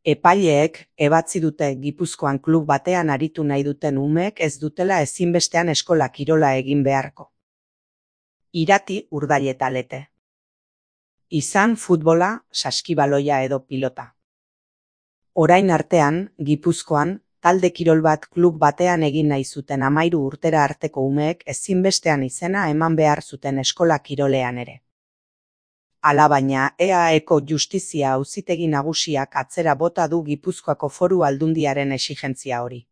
Epaileek ebatzi dute Gipuzkoan klub batean aritu nahi duten umeek ez dutela ezinbestean eskola kirola egin beharko. Irati Urdailetalete. Izan futbola, saskibaloia edo pilota. Orain artean, Gipuzkoan, talde kirol bat klub batean egin nahi zuten 13 urtera arteko umeek ezinbestean izena eman behar zuten eskola kirolean ere. Alabaina, EAEko Justizia Auzitegi Nagusiak atzera bota du Gipuzkoako Foru Aldundiaren exigentzia hori.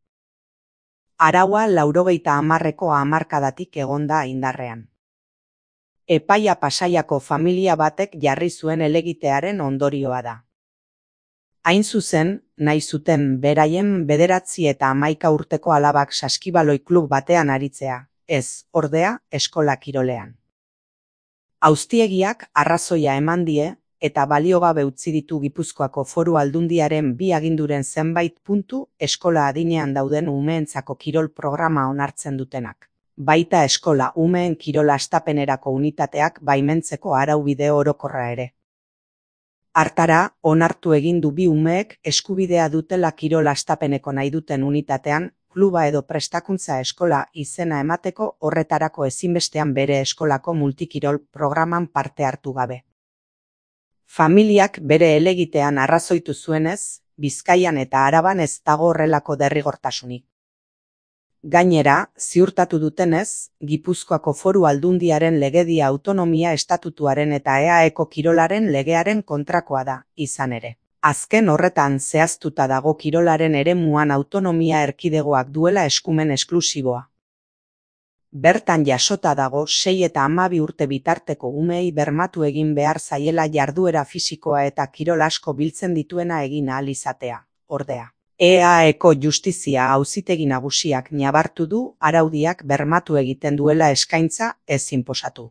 Araua 90ko hamarkadatik egonda indarrean. Epaia Pasaiako familia batek jarri zuen helegitearen ondorioa da. Hain zuzen, nahi zuten beraien 9 eta 11 urteko alabak saskibaloi klub batean aritzea, ez, ordea, eskola kirolean. Auzitegiak arrazoia eman die, eta baliogabe utzi ditu Gipuzkoako Foru Aldundiaren 2 aginduren zenbait puntu eskola adinean dauden umeentzako kirol programa onartzen dutenak. Baita eskola umeen kirol hastapenerako unitateak baimentzeko araubide orokorra ere. Hartara, onartu egin du bi umeek eskubidea dutela kirol hastapeneko nahi duten unitatean, kluba edo prestakuntza eskola izena emateko horretarako ezinbestean bere eskolako multikirol programan parte hartu gabe. Familiak bere helegitean arrazoitu zuenez, Bizkaian eta Araban ez dago horrelako derrigortasunik. Gainera, ziurtatu dutenez, Gipuzkoako Foru Aldundiaren legedia autonomia estatutuaren eta EAEko kirolaren legearen kontrakoa da, izan ere. Azken horretan zehaztuta dago kirolaren eremuan autonomia erkidegoak duela eskumen esklusiboa. Bertan jasota dago 6 eta 12 urte bitarteko umeei bermatu egin behar zaiela jarduera fisikoa eta kirol asko biltzen dituena egin ahal izatea, ordea. EAEko Justizia Auzitegi Nagusiak nabartu du araudiak bermatu egiten duela eskaintza ez inposatu.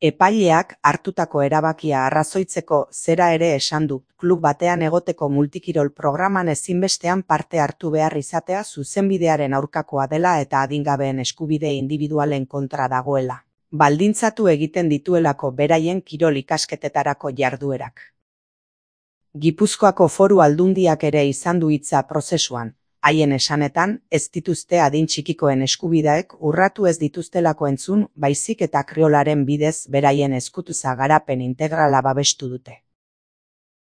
Epaileak hartutako erabakia arrazoitzeko zera ere esan du, klub batean egoteko multikirol programan ezinbestean parte hartu behar izatea zuzenbidearen aurkakoa dela eta adingabeen eskubide indibidualen kontra dagoela. Baldintzatu egiten dituelako beraien kirol ikasketetarako jarduerak. Gipuzkoako Foru Aldundiak ere izan du hitza prozesuan. Haien esanetan, ez dituzte adin txikikoen eskubideek urratu ez dituztelako entzun, baizik eta kriolaren bidez beraien eskututza garapen integrala babestu dute.